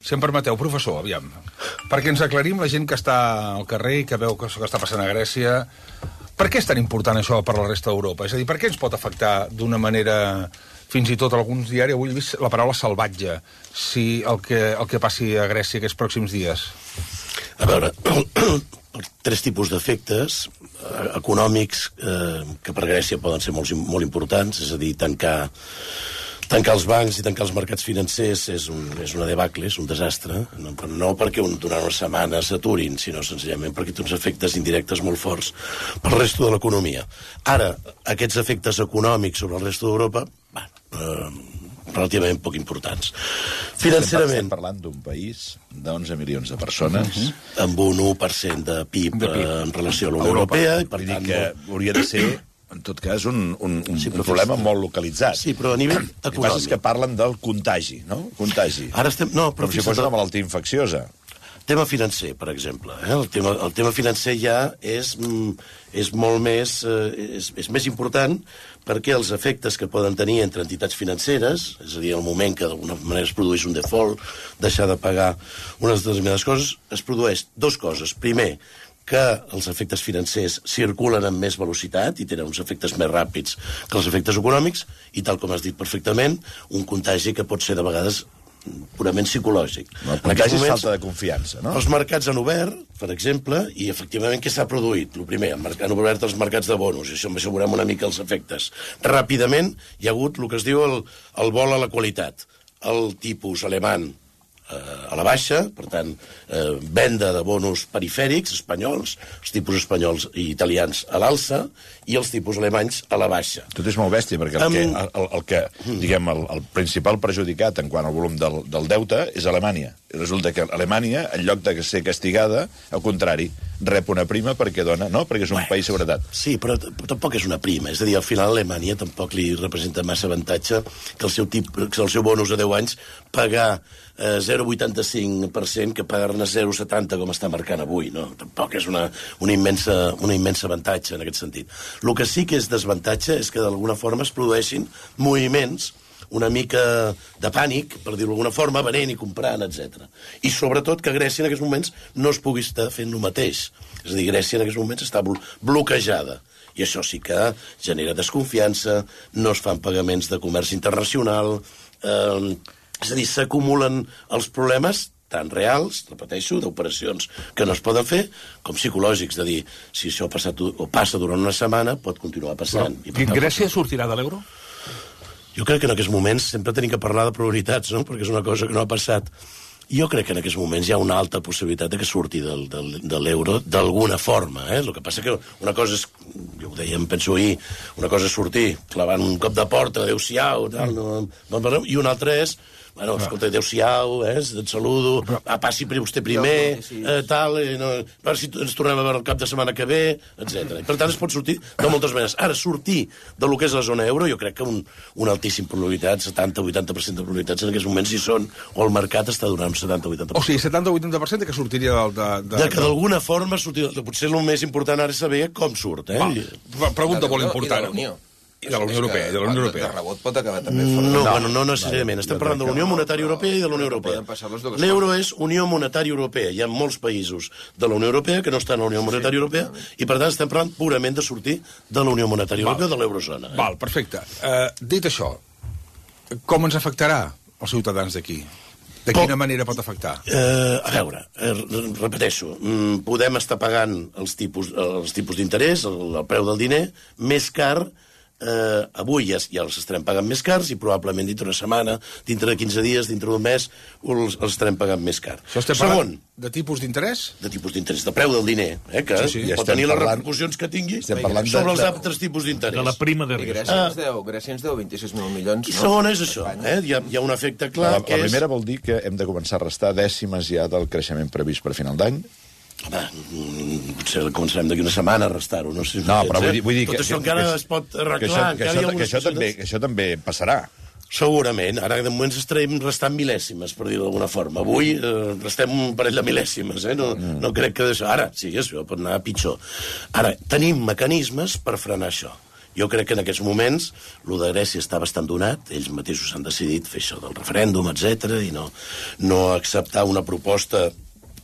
Si em permeteu, professor, aviam, perquè ens aclarim la gent que està al carrer i que veu que està passant a Grècia. Per què és tan important això per la resta d'Europa? És a dir, per què ens pot afectar d'una manera, fins i tot alguns diaris, avui he vist la paraula salvatge, si el que passi a Grècia aquests pròxims dies? A veure, tres tipus d'efectes econòmics que per Grècia poden ser molt importants, és a dir, tancar els bancs i tancar els mercats financers és una debacle, és un desastre, no perquè durant una setmana s'aturin, sinó senzillament perquè té uns efectes indirectes molt forts pel resto de l'economia. Ara, aquests efectes econòmics sobre el resto d'Europa, relativament poc importants. Financerament... Estem parlant d'un país d'11 milions de persones... Amb un 1% de PIB en relació a la Unió Europea, i per tant... Vull dir que hauria de ser... En tot cas, un problema molt localitzat. Sí, però a nivell econòmic. El que passa és que parlen del contagi, no? Contagi. Ara estem... No, però com si fos una malaltia infecciosa. Tema financer, per exemple. El tema financer ja és molt més... és més important perquè els efectes que poden tenir entre entitats financeres, és a dir, el moment que d'alguna manera es produeix un default, deixar de pagar unes determinades coses, es produeix dues coses. Primer, que els efectes financers circulen amb més velocitat i tenen uns efectes més ràpids que els efectes econòmics, i tal com has dit perfectament, un contagi que pot ser de vegades purament psicològic. El contagi és falta de confiança, no? Els mercats han obert, per exemple, i efectivament què s'ha produït? El primer, han obert els mercats de bonos, i això m'assegurem una mica els efectes. Ràpidament hi ha hagut el que es diu el vol a la qualitat. El tipus alemany a la baixa, per tant, venda de bonos perifèrics espanyols, els tipus espanyols i italians a l'alça, i els tipus alemanys a la baixa. Tot és molt bèstia, perquè el principal perjudicat en quant al volum del deute és Alemanya. I resulta que Alemanya, en lloc de ser castigada, al contrari, rep una prima perquè dona, no? Perquè és un país seguretat. Sí, però tampoc és una prima. És a dir, al final Alemanya tampoc li representa massa avantatge que el seu bonus a 10 anys pagar 0,85% que pagar-ne 0,70 com està marcant avui, no? Tampoc és una immensa avantatge en aquest sentit. El que sí que és desavantatge és que d'alguna forma es produeixin moviments una mica de pànic, per dir-ho d'alguna forma, venent i comprant, etc. I sobretot que Grècia en aquests moments no es pugui estar fent el mateix. És a dir, Grècia en aquests moments està bloquejada. I això sí que genera desconfiança, no es fan pagaments de comerç internacional, és a dir, s'acumulen els problemes tan reals, repeteixo, d'operacions que no es poden fer, com psicològics, de dir, si això passa durant una setmana, pot continuar passant. Però, Grècia sortirà de l'euro? Jo crec que en aquests moments sempre tenim que parlar de prioritats, no? Perquè és una cosa que no ha passat. Jo crec que en aquests moments hi ha una alta possibilitat de que surti de l'euro d'alguna forma. El que passa que una cosa és, jo ho deia, em penso ahir, una cosa és sortir clavant un cop de porta, adéu-siau, i una altra és, bueno, escolta, adéu-siau, et saludo, passi vostè primer, tal, a veure si ens tornem a veure el cap de setmana que ve, etc. Per tant, es pot sortir de moltes maneres. Ara, sortir de lo que és la zona euro, jo crec que una altíssima probabilitat, 70-80% de probabilitats en aquests moments hi són, o el mercat està donant 70-80%. O sigui, 70-80% que sortiria de que d'alguna forma sortir... Potser el més important ara és saber com surt, Pregunta molt important. I de la Unió Europea. De rebot pot acabar també fora. No necessàriament. Estem parlant de la Unió Monetària Europea i de la Unió Europea. L'euro és Unió Monetària Europea. Hi ha molts països de la Unió Europea que no estan a la Unió Monetària Europea i, per tant, estem parlant purament de sortir de la Unió Monetària Europea o de l'eurozona. Val, perfecte. Dit això, com ens afectarà els ciutadans d'aquí? De quina manera pot afectar? A veure, repeteixo, podem estar pagant els tipus d'interès, el preu del diner, més car. Avui ja els estarem pagant més cars i probablement dintre d'una setmana, dintre de 15 dies, dintre d'un mes, els estarem pagant més car. Això estem parlant de tipus d'interès? De tipus d'interès, de preu del diner, que pot tenir les repercussions que tingui sobre els altres tipus d'interès. De la prima de risc. Grècia ens deu 26.000 milions. I segona és això, hi ha un efecte clar que és... La primera vol dir que hem de començar a restar dècimes ja del creixement previst per final d'any. Home, potser començarem d'aquí una setmana a restar-ho, no sé. No, però vull dir tot això encara es pot arreglar. Que això també passarà. Segurament. Ara, de moment, estarem restant mil·lèsimes, per dir-ho d'alguna forma. Avui restem un parell de mil·lèsimes, No crec que d'això... Ara, sí, això pot anar pitjor. Ara, tenim mecanismes per frenar això. Jo crec que en aquests moments lo de Grècia està bastant donat, ells mateixos han decidit fer això del referèndum, etc i no acceptar una proposta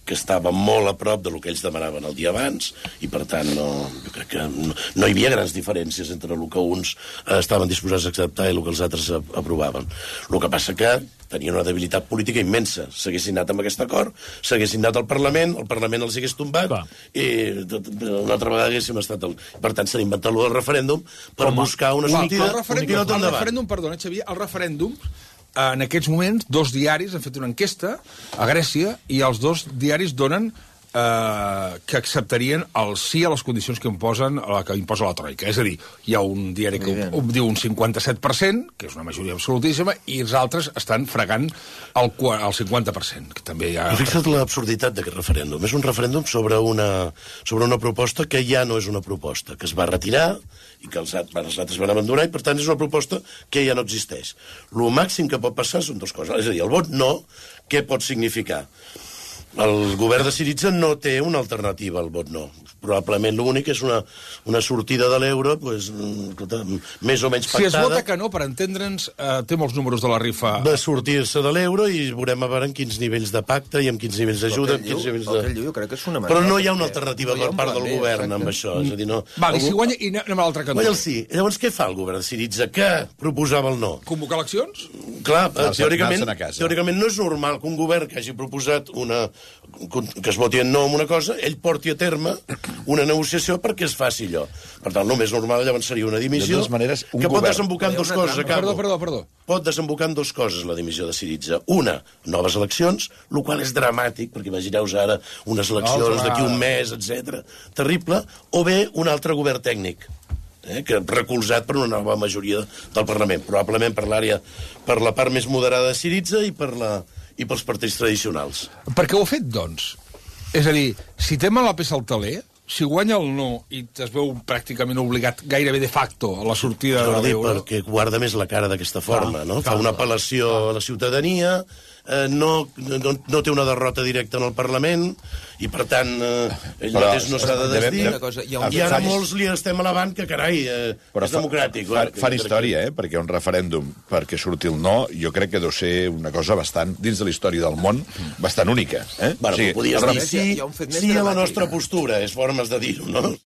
que estava molt a prop del que ells demanaven el dia abans, i per tant jo crec que no hi havia grans diferències entre el que uns estaven disposats a acceptar i el que els altres aprovaven. El que passa que tenien una debilitat política immensa. S'haguessin anat amb aquest acord, s'haguessin anat al Parlament, el Parlament els hagués tombat, i una altra vegada haguéssim estat... Per tant, s'ha inventat el referèndum per buscar una sortida. El referèndum, perdona, Xavier, el referèndum, en aquests moments, 2 diaris han fet una enquesta a Grècia i els 2 diaris donen que acceptarien el sí a les condicions que imposa la Troika. És a dir, hi ha un diari que diu un 57%, que és una majoria absolutíssima, i els altres estan fregant el 50%. Que també hi ha... Fixa't l'absurditat d'aquest referèndum. És un referèndum sobre una proposta que ja no és una proposta, que es va retirar i que els altres van abandonar, i per tant és una proposta que ja no existeix. El màxim que pot passar són 2 coses. És a dir, el vot no, què pot significar? El govern de Syriza no té una alternativa al vot no. Probablement l'únic és una sortida de l'euro més o menys pactada. Si es vota que no, per entendre'ns, té molts números de la rifa. De sortir-se de l'euro i veurem a veure en quins nivells de pacte i en quins nivells d'ajuda. Jo crec que és una Però no hi ha una alternativa per part del govern amb això. És a dir, no... Vale, si guanya, i anem a l'altre cantó. Guanya el sí. Llavors què fa el govern de Syriza? Què proposava el no? Convocar eleccions? Clar, teòricament no és normal que un govern que hagi proposat que es voti en no en una cosa, ell porti a terme una negociació perquè es faci allò. Per tant, el més normal llavors seria una dimissió que pot desembocar en 2 coses. Perdó. Pot desembocar en 2 coses la dimissió de Syriza. Una, noves eleccions, el qual és dramàtic, perquè imagineu-vos ara unes eleccions d'aquí un mes, etc. Terrible. O bé, un altre govern tècnic, que recolzat per una nova majoria del Parlament, probablement per la part més moderada de Syriza i pels partits tradicionals. Per què ho ha fet, doncs? És a dir, si té mal la peça al taler, si guanya el no i es veu pràcticament obligat gairebé de facto a la sortida de l'euro... Perquè guarda més la cara d'aquesta forma, no? Fa una apel·lació a la ciutadania, no té una derrota directa en el Parlament, i per tant ell mateix no s'ha de desdir, i ara molts li estem alabant que, carai, és democràtic. Fan història, perquè un referèndum perquè surti el no, jo crec que deu ser una cosa bastant, dins de la història del món, bastant única. Bueno, podies dir sí a la nostra postura, és formes de dir-ho, no?